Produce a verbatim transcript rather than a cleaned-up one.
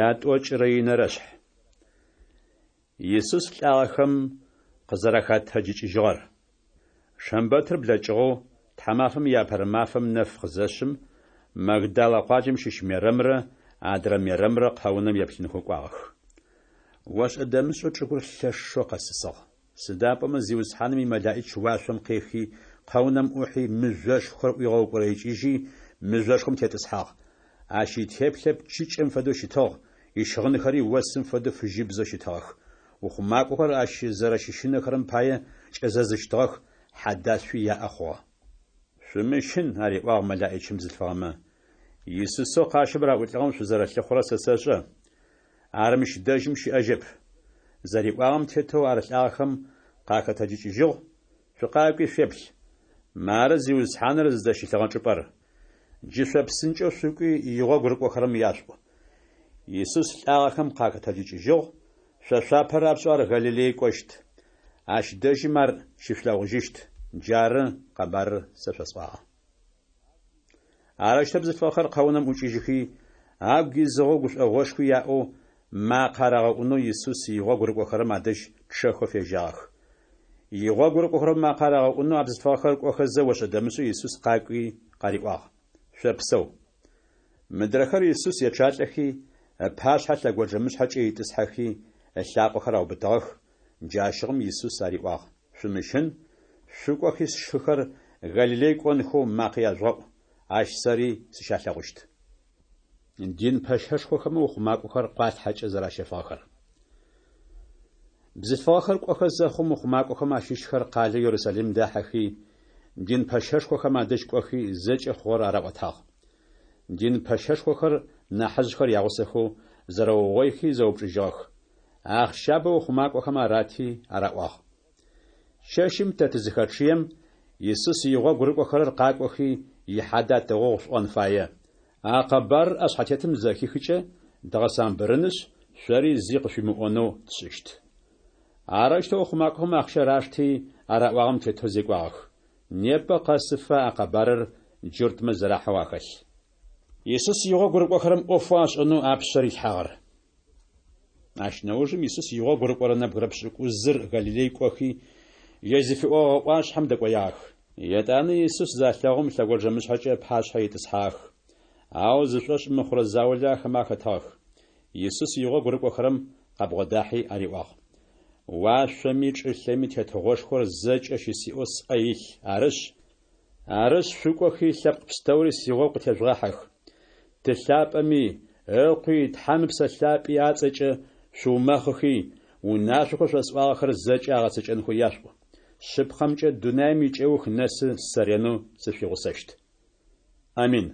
Ятӏокӏырэ инэрэ шъхь. Исус лӏагъэхэм къызэрахэтэджыкӏыжьыгъэр. Шэмбэтыр блэкӏыгъэу, тхьамафэм иапэрэ мафэм нэф къызэшъым, Магдалэ къуаджэм щыщ Мерэмрэ адрэ Мерэмрэ къэунэм еплъынхэу кӏуагъэх. Ошӏэ-дэмышӏэу чӏыгур лъэшэу къэсысыгъ. Сыда пӏомэ Зиусхьаным имэлаӏич уашъом къехи, къэунэм ӏухьи, мыжъошхор ӏуигъэукӏорэикӏыжьи, мыжъошхом тетӏысхьагъ. Ащ итеплъэ пчыкӏэм фэдэу щытыгъ, ищыгъынхэри осым фэдэу фыжьыбзэу щытыгъэх. Ухъумакӏохэр ащ зэрэщыщынэхэрэм пае кӏэзэзыщтыгъэх, хьэдашъуи яӏэ хъугъэ. Шъумыщын, ариӏуагъ мэлаӏичым бзылъфыгъэмэ. Исусэу къащым раӏулӏыгъэм шъузэрлъыхъурэр сэ сэшӏэ. Ар мыщ дэжьым щыӏэжьэп. Зэриӏуагъэм тетэу ар лӏагъэхэм къахэтэджыкӏыжьыгъ. Шъукъакӏуи шъуеплъ. Мары Зиусхьаныр зыдэщылъыгъэ чӏыпӏэр. Джы шъо псынкӏэу шъукӏуи игъогу рыкӏохэрэм яшъуӏу. Исус лӏагъэхэм къахэтэджыкӏыжьыгъ, шъо шъуапэ рапшӏэу ар Галилей кӏощт. Ащ дэжьым ар щышъулъэгъужьыщт. Джары къэбарыр сэ шъосӏуагъэ. Арэущтэу бзылъфыгъэхэр къэунэм ӏукӏыжьыхи, агу изыгъэу гушӏогъошхуи яӏэу, макъэ арагъэӏунэу Исус игъогу рыкӏохэрэм адэжь чъэхэу фежьагъэх. Игъогу рыкӏохэрэм макъэ арагъэӏунэу а бзылъфыгъэхэр кӏохэзэ ошӏэ-дэмышӏэу Исус къакӏуи къариӏуагъ: Шъопсэу. Мыдрэхэр Исус ечъалӏэхи, ыпашъхьэ лъэгонджэмышъхьэкӏэ итӏысхьэхи, ылъакъохэр аубытыгъэх. Джащыгъум Исус ариӏуагъ: Шъумыщын, шъукӏохи сшыхэр Галилей кӏонхэу макъэ яжъугъэӏу, ащ сэри сыщалъэгъущт. Дин пэщэшхохэмэ ухъумакӏохэр къуалъхьэкӏэ зэращэфыгъэхэр. Бзылъфыгъэхэр кӏохэ зэхъум ухъумакӏохэм ащыщхэр къалэу Ерусалим дахьэхи, дин пэщэшхохэм адэжь кӏохи зэкӏэ хъугъэр араӏотагъ. Дин пэщэшхохэр нахьыжъхэр ягъусэхэу зэрэугъоихи зэупчӏыжьыгъэх. Ахъщабэ ухъумакӏохэм арати араӏуагъ: Чэщым тэ тызыхэчъыем, Исус игъогу рыкӏохэрэр къакӏохи ихьадэ атыгъугъ шъуӏон фае. А къэбарыр ӏэшъхьэтетым зэхихыкӏэ дгъэсамбырынышъ, шъори зи къышъуимыӏонэу тшӏыщт. Арэущтэу ухъумакӏохэм ахъщэр ашти, араӏуагъэм тетэу зекӏуагъэх. Непэ къэсыфэ а къэбарыр джуртмэ зэрахьэу ахэлъ. Исус игъогу рыкӏохэрэм ӏофэу ашӏэнэу апшъэ рилъхьагъэр. Ащ нэужым Исус игъогу рыкӏорэ нэбгырэ пшӏыкӏузыр Галилей кӏохи, ежь зыфиӏогъэ ӏуашъхьэм дэкӏоягъэх. Етӏанэ Исус залъэгъум лъэгонджэмышъхьэкӏэ ыпашъхьэ итӏысхьагъэх. Ау зышӏошъ мыхъурэ заулэ ахэмэ ахэтыгъэх. Исус игъогу рыкӏохэрэм къабгъодахьи ариӏуагъ: Уашъоми чӏылъэми тетыгъошхор зэкӏэ щысиӏэу сӏэ илъ, арышъ, Арышъ, шъукӏохи лъэпкъ пстэури сигъогу къытежъугъахьэх. Ты лъапӏэми, Ыкъуи, Тхьэм Ыпсэ Лъапӏи ацӏэкӏэ шъуумэхъыхи, унашъохэу шъосӏуагъэхэр зэкӏэ агъэцэкӏэнхэу яшъуӏу. Шъыпкъэмкӏэ дунаим икӏэух нэсы сэ ренэу сышъуигъусэщт. Амин.